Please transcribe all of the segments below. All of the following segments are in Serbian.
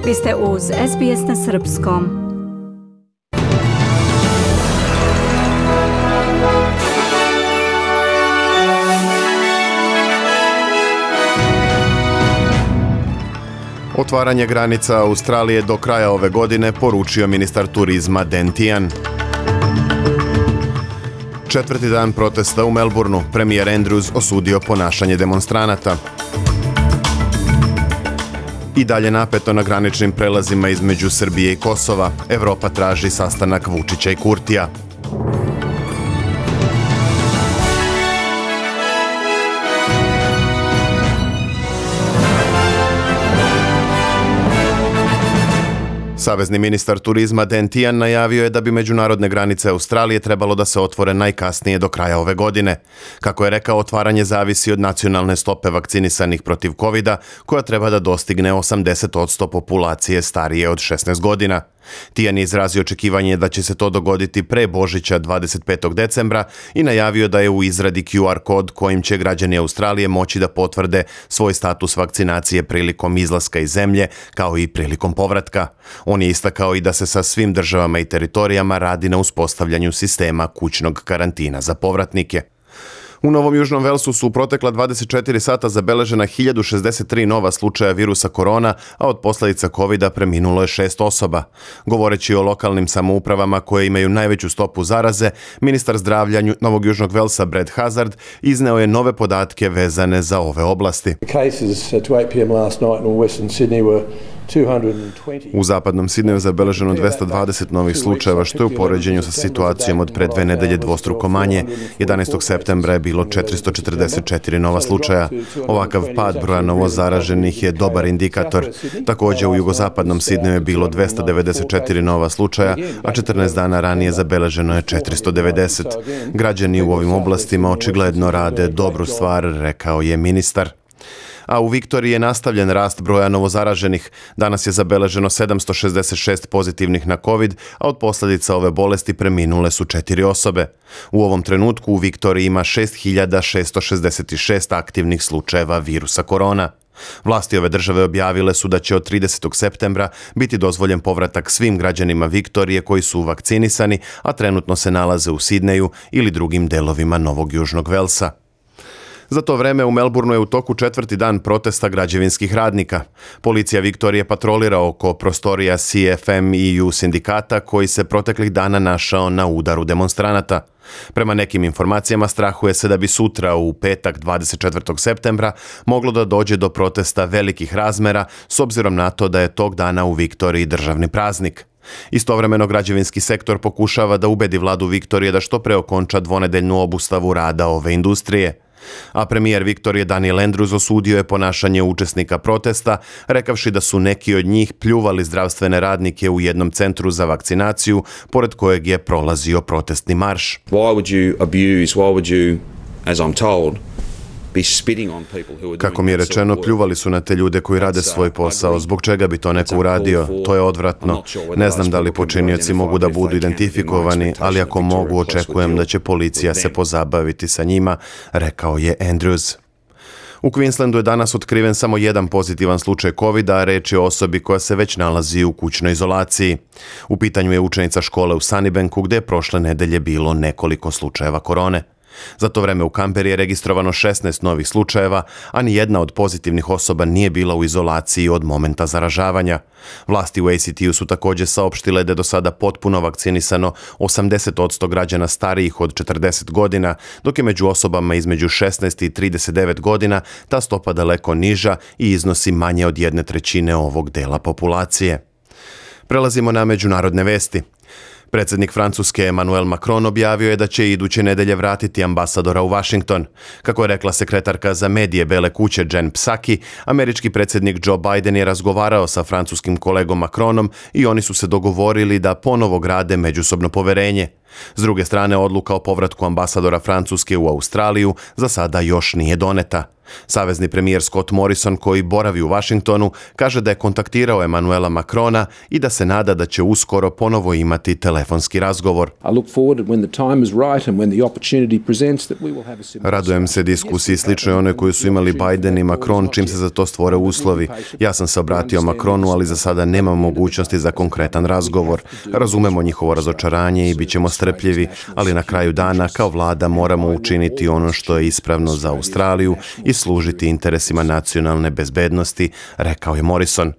Vi ste uz SBS na srpskom. Otvaranje granica Australije do kraja ove godine, poručio ministar turizma Dan Tehan. Četvrti dan protesta u Melbourneu, premijer Andrews osudio ponašanje demonstranata. I dalje napeto na graničnim prelazima između Srbije i Kosova. Evropa traži sastanak Vučića i Kurtija. Savezni ministar turizma Dan Tehan najavio je da bi međunarodne granice Australije trebalo da se otvore najkasnije do kraja ove godine. Kako je rekao, otvaranje zavisi od nacionalne stope vakcinisanih protiv covida, koja treba da dostigne 80% populacije starije od 16 godina. Tehan je izrazio očekivanje da će se to dogoditi pre Božića 25. decembra i najavio da je u izradi QR kod kojim će građani Australije moći da potvrde svoj status vakcinacije prilikom izlaska iz zemlje, kao i prilikom povratka. On je istakao i da se sa svim državama i teritorijama radi na uspostavljanju sistema kućnog karantina za povratnike. U Novom Južnom Velsu su u protekla 24 sata zabeležena 1063 nova slučaja virusa korona, a od posljedica covida preminulo je 6 osoba. Govoreći o lokalnim samoupravama koje imaju najveću stopu zaraze, ministar zdravlja Novog Južnog Velsa Brad Hazzard izneo je nove podatke vezane za ove oblasti. U zapadnom Sidneju zabeleženo 220 novih slučajeva, što je u poređenju sa situacijom od pre 2 nedelje dvostruko manje. 11. septembra je bilo 444 nova slučaja. Ovakav pad broja novozaraženih je dobar indikator. Također u jugozapadnom Sidneju je bilo 294 nova slučaja, a 14 dana ranije zabeleženo je 490. Građani u ovim oblastima očigledno rade dobru stvar, rekao je ministar. A u Viktoriji je nastavljen rast broja novozaraženih. Danas je zabeleženo 766 pozitivnih na COVID, a od posljedica ove bolesti preminule su 4 osobe. U ovom trenutku u Viktoriji ima 6666 aktivnih slučajeva virusa korona. Vlasti ove države objavile su da će od 30. septembra biti dozvoljen povratak svim građanima Viktorije koji su vakcinisani, a trenutno se nalaze u Sidneju ili drugim delovima Novog Južnog Velsa. Za to vreme u Melbourneu je u toku četvrti dan protesta građevinskih radnika. Policija Viktorije patrolira oko prostorija CFMEU sindikata koji se proteklih dana našao na udaru demonstranata. Prema nekim informacijama strahuje se da bi sutra u petak 24. septembra moglo da dođe do protesta velikih razmera s obzirom na to da je tog dana u Viktoriji državni praznik. Istovremeno građevinski sektor pokušava da ubedi vladu Viktorije da što pre okonča dvonedeljnu obustavu rada ove industrije. A premijer Viktorije Daniel Andrews osudio je ponašanje učesnika protesta, rekavši da su neki od njih pljuvali zdravstvene radnike u jednom centru za vakcinaciju, pored kojeg je prolazio protestni marš. Kako mi je rečeno, pljuvali su na te ljude koji rade svoj posao. Zbog čega bi to neko uradio? To je odvratno. Ne znam da li počinioci mogu da budu identifikovani, ali ako mogu, očekujem da će policija se pozabaviti sa njima, rekao je Andrews. U Queenslandu je danas otkriven samo jedan pozitivan slučaj covida, a reč je o osobi koja se već nalazi u kućnoj izolaciji. U pitanju je učenica škole u Sunnybanku, gdje je prošle nedelje bilo nekoliko slučajeva korone. Za to vreme u Canberri je registrovano 16 novih slučajeva, a ni jedna od pozitivnih osoba nije bila u izolaciji od momenta zaražavanja. Vlasti u ACT-u su također saopštile da je do sada potpuno vakcinisano 80% građana starijih od 40 godina, dok je među osobama između 16 i 39 godina ta stopa daleko niža i iznosi manje od 1/3 ovog dela populacije. Prelazimo na međunarodne vesti. Predsjednik Francuske Emmanuel Macron objavio je da će iduće nedelje vratiti ambasadora u Washington. Kako je rekla sekretarka za medije Bele kuće Jen Psaki, američki predsjednik Joe Biden je razgovarao sa francuskim kolegom Macronom i oni su se dogovorili da ponovo grade međusobno poverenje. S druge strane, odluka o povratku ambasadora Francuske u Australiju za sada još nije doneta. Savezni premijer Scott Morrison, koji boravi u Washingtonu, kaže da je kontaktirao Emmanuela Macrona i da se nada da će uskoro ponovo imati telefonski razgovor. Radujem se diskusiji sličnoj onoj koju su imali Biden i Macron čim se za to stvore uslovi. Ja sam se obratio Macronu, ali za sada nemam mogućnosti za konkretan razgovor. Razumemo njihovo razočaranje i bit ćemo strpljivi, ali na kraju dana kao vlada moramo učiniti ono što je ispravno za Australiju i služiti interesima nacionalne bezbednosti, rekao je Morrison.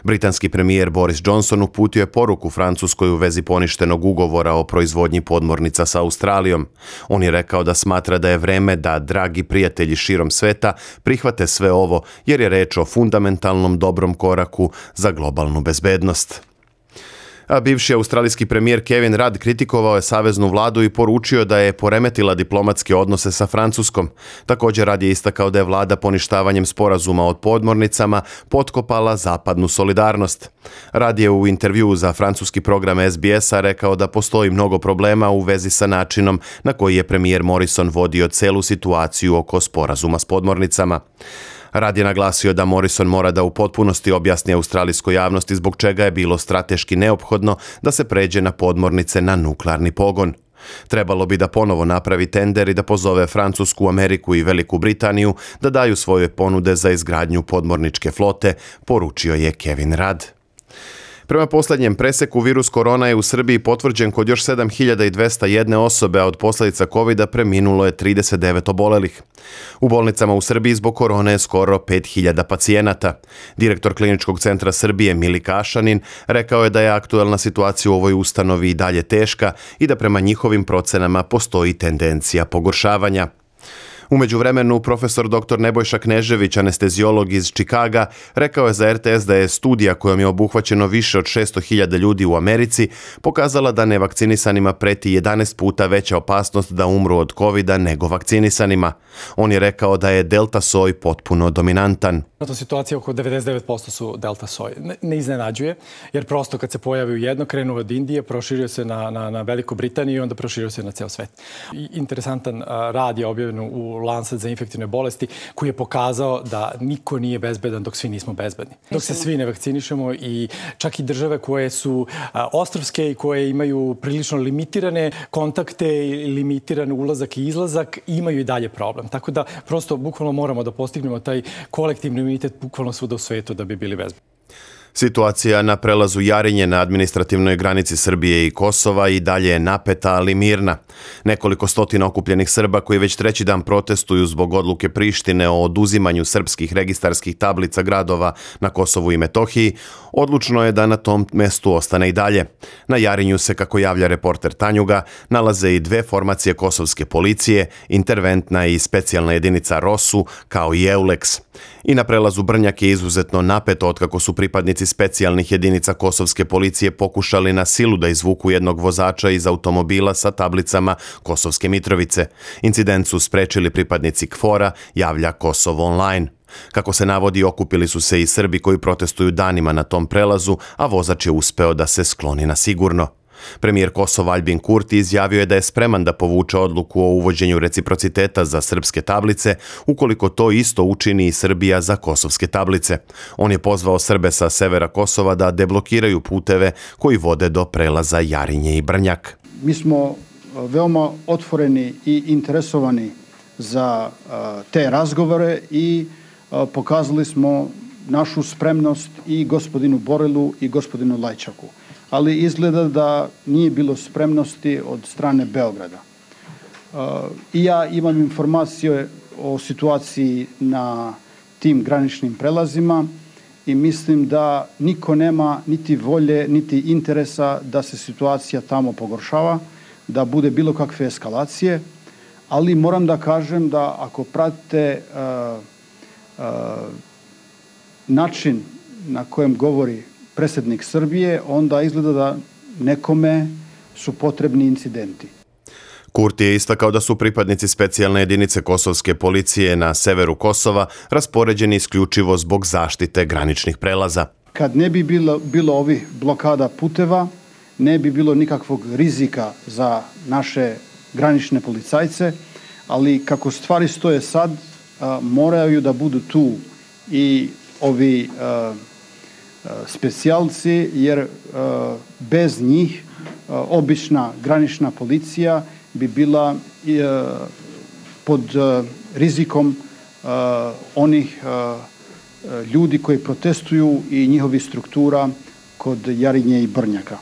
Britanski premijer Boris Johnson uputio je poruku Francuskoj u vezi poništenog ugovora o proizvodnji podmornica sa Australijom. On je rekao da smatra da je vreme da dragi prijatelji širom sveta prihvate sve ovo, jer je reč o fundamentalnom dobrom koraku za globalnu bezbednost. A bivši australijski premijer Kevin Rudd kritikovao je saveznu vladu i poručio da je poremetila diplomatske odnose sa Francuskom. Također Rudd je istakao da je vlada poništavanjem sporazuma o podmornicama potkopala zapadnu solidarnost. Rudd je u intervjuu za francuski program SBS-a rekao da postoji mnogo problema u vezi sa načinom na koji je premijer Morrison vodio celu situaciju oko sporazuma s podmornicama. Rudd je naglasio da Morrison mora da u potpunosti objasni australijskoj javnosti zbog čega je bilo strateški neophodno da se pređe na podmornice na nuklearni pogon. Trebalo bi da ponovo napravi tender i da pozove Francusku, Ameriku i Veliku Britaniju da daju svoje ponude za izgradnju podmorničke flote, poručio je Kevin Rudd. Prema posljednjem preseku, virus korona je u Srbiji potvrđen kod još 7201 osobe, a od posljedica covida preminulo je 39 obolelih. U bolnicama u Srbiji zbog korone je skoro 5000 pacijenata. Direktor Kliničkog centra Srbije Milika Ašanin rekao je da je aktuelna situacija u ovoj ustanovi i dalje teška i da prema njihovim procenama postoji tendencija pogoršavanja. U međuvremenu, profesor dr. Nebojša Knežević, anesteziolog iz Čikaga, rekao je za RTS da je studija kojom je obuhvaćeno više od 600.000 ljudi u Americi pokazala da nevakcinisanima preti 11 puta veća opasnost da umru od covida nego vakcinisanima. On je rekao da je delta soj potpuno dominantan. Situacija oko 99% su delta soj. Ne iznenađuje, jer prosto kad se pojavi u jedno, krenuo od Indije, proširio se na Veliku Britaniju i onda proširio se na ceo svet. Interesantan rad je objavljen u Lancet za infektivne bolesti koji je pokazao da niko nije bezbedan dok svi nismo bezbedni. Dok se svi ne vakcinišemo i čak i države koje su ostrvske i koje imaju prilično limitirane kontakte i limitiran ulazak i izlazak imaju i dalje problem. Tako da prosto bukvalno moramo da postignemo taj kolektivni imunitet bukvalno svuda u svetu da bi bili bezbedni. Situacija na prelazu Jarinje na administrativnoj granici Srbije i Kosova i dalje je napeta, ali mirna. Nekoliko stotina okupljenih Srba koji već treći dan protestuju zbog odluke Prištine o oduzimanju srpskih registarskih tablica gradova na Kosovu i Metohiji, odlučno je da na tom mestu ostane i dalje. Na Jarinju se, kako javlja reporter Tanjuga, nalaze i dve formacije kosovske policije, interventna i specijalna jedinica ROSU, kao i EULEX. I na prelazu Brnjak je izuzetno napeto otkako su pripadnici specijalnih jedinica kosovske policije pokušali na silu da izvuku jednog vozača iz automobila sa tablicama Kosovske Mitrovice. Incident su sprečili pripadnici KFOR-a, javlja Kosovo online. Kako se navodi, okupili su se i Srbi koji protestuju danima na tom prelazu, a vozač je uspeo da se skloni na sigurno. Premijer Kosova Aljbin Kurti izjavio je da je spreman da povuče odluku o uvođenju reciprociteta za srpske tablice, ukoliko to isto učini i Srbija za kosovske tablice. On je pozvao Srbe sa severa Kosova da deblokiraju puteve koji vode do prelaza Jarinje i Brnjak. Mi smo veoma otvoreni i interesovani za te razgovore i pokazali smo našu spremnost i gospodinu Borelu i gospodinu Lajčaku. Ali izgleda da nije bilo spremnosti od strane Beograda. I ja imam informacije o situaciji na tim graničnim prelazima i mislim da niko nema niti volje, niti interesa da se situacija tamo pogoršava, da bude bilo kakve eskalacije, ali moram da kažem da ako pratite način na kojem govori predsjednik Srbije, onda izgleda da nekome su potrebni incidenti. Kurti je istakao da su pripadnici specijalne jedinice kosovske policije na severu Kosova raspoređeni isključivo zbog zaštite graničnih prelaza. Kad ne bi bilo ovih blokada puteva, ne bi bilo nikakvog rizika za naše granične policajce, ali kako stvari stoje sad, moraju da budu tu i ovi specijalci, jer bez njih obična granična policija bi bila pod rizikom onih ljudi koji protestuju i njihovi struktura kod Jarinje i Brnjaka.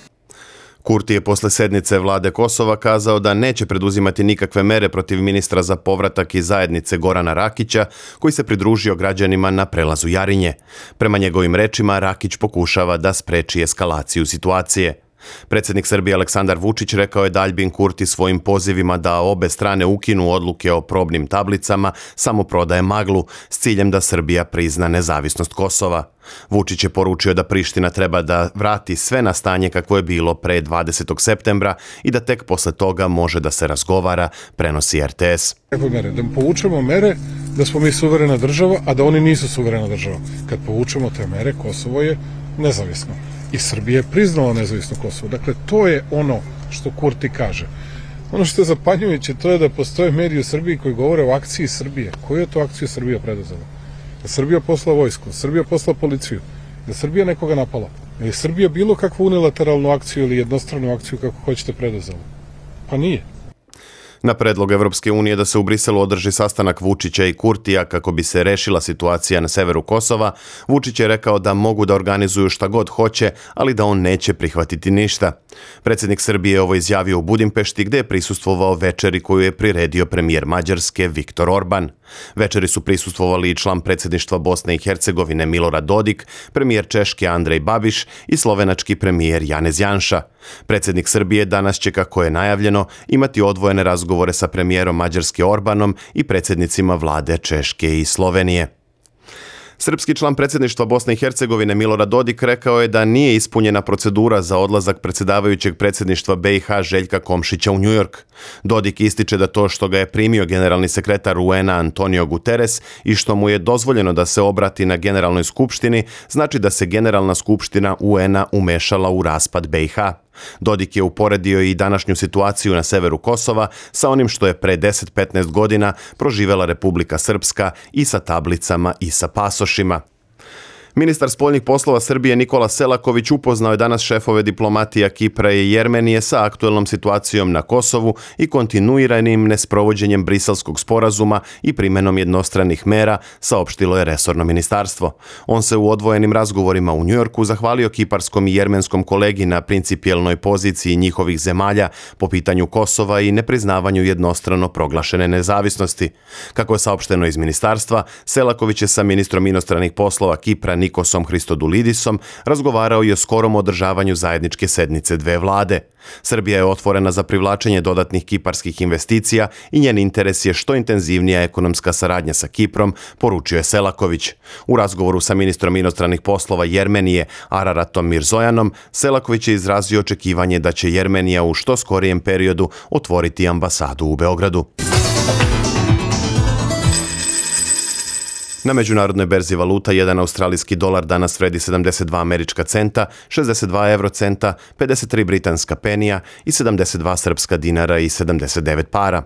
Kurti je posle sednice vlade Kosova kazao da neće preduzimati nikakve mere protiv ministra za povratak iz zajednice Gorana Rakića, koji se pridružio građanima na prelazu Jarinje. Prema njegovim rečima, Rakić pokušava da spreči eskalaciju situacije. Predsjednik Srbije Aleksandar Vučić rekao je da Aljbin Kurti svojim pozivima da obe strane ukinu odluke o probnim tablicama samo prodaje maglu s ciljem da Srbija prizna nezavisnost Kosova. Vučić je poručio da Priština treba da vrati sve na stanje kakvo je bilo pre 20. septembra i da tek posle toga može da se razgovara, prenosi RTS. Da povučemo mere da smo mi suverena država, a da oni nisu suverena država. Kad povučemo te mere, Kosovo je nezavisno. I Srbija je priznala nezavisno Kosovo. Dakle, to je ono što Kurti kaže. Ono što je zapanjujuće, to je da postoje mediji u Srbiji koji govore o akciji Srbije. Koju je to akciju Srbija preduzela? Da Srbija poslala vojsku, da Srbija poslala policiju, da Srbija nekoga napala. Da je Srbija bilo kakvu unilateralnu akciju ili jednostranu akciju kako hoćete preduzela? Pa nije. Na predlog Evropske unije da se u Briselu održi sastanak Vučića i Kurtija kako bi se rešila situacija na severu Kosova, Vučić je rekao da mogu da organizuju šta god hoće, ali da on neće prihvatiti ništa. Predsjednik Srbije je ovo izjavio u Budimpešti, gde je prisustvovao večeri koju je priredio premijer Mađarske Viktor Orban. Večeri su prisustvovali i član predsjedništva Bosne i Hercegovine Milorad Dodik, premijer Češke Andrej Babiš i slovenački premijer Janez Janša. Predsjednik Srbije danas će, kako je najavljeno, imati odvojene razgovore sa premijerom Mađarske Orbanom i predsjednicima vlade Češke i Slovenije. Srpski član predsjedništva Bosne i Hercegovine Milorad Dodik rekao je da nije ispunjena procedura za odlazak predsjedavajućeg predsjedništva BiH Željka Komšića u Njujork. Dodik ističe da to što ga je primio generalni sekretar UN-a Antonio Guterres i što mu je dozvoljeno da se obrati na Generalnoj skupštini, znači da se Generalna skupština UN-a umešala u raspad BiH. Dodik je uporedio i današnju situaciju na severu Kosova sa onim što je pre 10-15 godina proživela Republika Srpska i sa tablicama i sa pasošima. Ministar spoljnih poslova Srbije Nikola Selaković upoznao je danas šefove diplomatija Kipra i Jermenije sa aktuelnom situacijom na Kosovu i kontinuiranim nesprovođenjem Briselskog sporazuma i primenom jednostranih mera, saopštilo je resorno ministarstvo. On se u odvojenim razgovorima u Njujorku zahvalio kiparskom i jermenskom kolegi na principijelnoj poziciji njihovih zemalja po pitanju Kosova i nepriznavanju jednostrano proglašene nezavisnosti. Kako je saopšteno iz ministarstva, Selaković je sa ministrom inostranih poslova Kipra Nikosom Hristodulidisom razgovarao i o skorom održavanju zajedničke sednice dve vlade. Srbija je otvorena za privlačenje dodatnih kiparskih investicija i njen interes je što intenzivnija ekonomska saradnja sa Kiprom, poručio je Selaković. U razgovoru sa ministrom inostranih poslova Jermenije Araratom Mirzojanom, Selaković je izrazio očekivanje da će Jermenija u što skorijem periodu otvoriti ambasadu u Beogradu. Na međunarodnoj berzi valuta jedan australijski dolar danas vredi 72 američka centa, 62 eurocenta, 53 britanska penija i 72 srpska dinara i 79 para.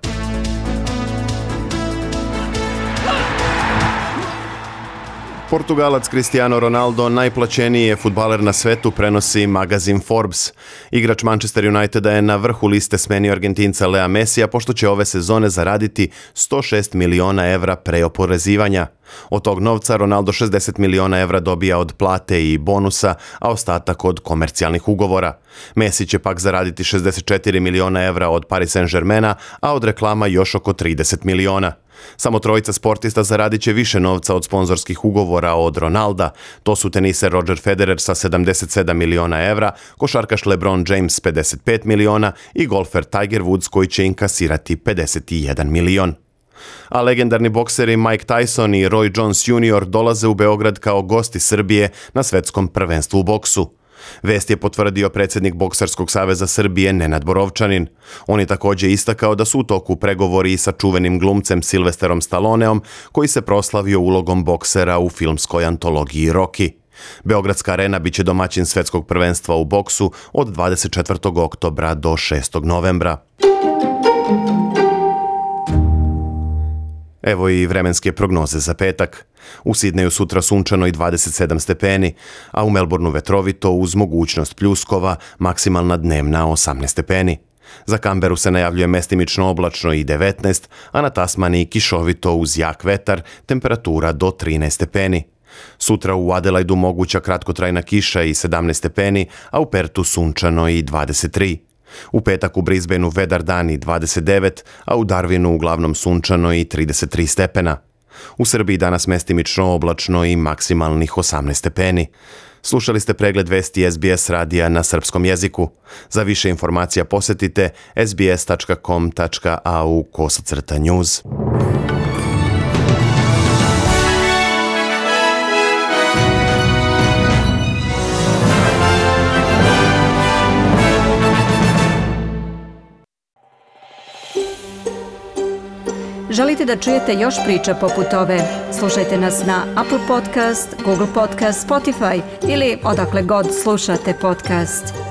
Portugalac Cristiano Ronaldo najplaćeniji je fudbaler na svetu, prenosi magazin Forbes. Igrač Manchester Uniteda je na vrhu liste smenio Argentinca Lea Mesija, pošto će ove sezone zaraditi 106 miliona evra pre oporezivanja. Od tog novca Ronaldo 60 miliona evra dobija od plate i bonusa, a ostatak od komercijalnih ugovora. Messi će pak zaraditi 64 miliona evra od Paris Saint-Germaina, a od reklama još oko 30 miliona. Samo trojica sportista zaradit će više novca od sponzorskih ugovora od Ronalda. To su teniser Roger Federer sa 77 miliona evra, košarkaš LeBron James 55 miliona i golfer Tiger Woods koji će inkasirati 51 milion. A legendarni bokseri Mike Tyson i Roy Jones Jr. dolaze u Beograd kao gosti Srbije na svetskom prvenstvu u boksu. Vest je potvrdio predsjednik Boksarskog saveza Srbije Nenad Borovčanin. On je također istakao da su u toku pregovori i sa čuvenim glumcem Silvesterom Stalloneom, koji se proslavio ulogom boksera u filmskoj antologiji Rocky. Beogradska arena biće domaćin svetskog prvenstva u boksu od 24. oktobra do 6. novembra. Evo i vremenske prognoze za petak. U Sidneju sutra sunčano i 27 stepeni, a u Melbourneu vetrovito uz mogućnost pljuskova, maksimalna dnevna 18 stepeni. Za Kamberu se najavljuje mestimično oblačno i 19, a na Tasmaniji kišovito uz jak vetar, temperatura do 13 stepeni. Sutra u Adelaidu moguća kratkotrajna kiša i 17 stepeni, a u Pertu sunčano i 23. U petak u Brisbaneu vedar dan i 29, a u Darwinu uglavnom sunčano i 33 stepena. U Srbiji danas mestimično oblačno i maksimalnih 18 stepeni. Slušali ste pregled vesti SBS radija na srpskom jeziku. Za više informacija posjetite sbs.com.au/news. Želite da čujete još priča poput ove? Slušajte nas na Apple Podcast, Google Podcast, Spotify ili odakle god slušate podcast.